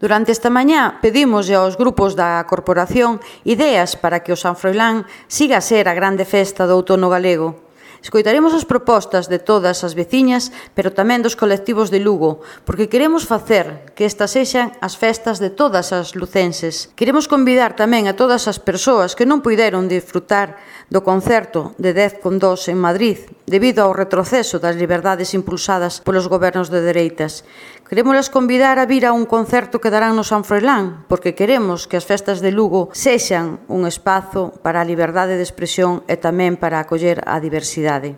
Durante esta mañá pedimos aos grupos da corporación ideas para que o San Froilán siga a ser a grande festa do outono galego. Escoitaremos as propostas de todas as veciñas, pero tamén dos colectivos de Lugo, porque queremos facer que estas sexan as festas de todas as lucenses. Queremos convidar tamén a todas as persoas que non puideron disfrutar do concerto de 10,2 en Madrid, debido ao retroceso das liberdades impulsadas polos gobernos de dereitas. Queremos convidar a vir a un concerto que darán no San Froilán, porque queremos que as festas de Lugo sexan un espazo para a liberdade de expresión e tamén para acoller a diversidade.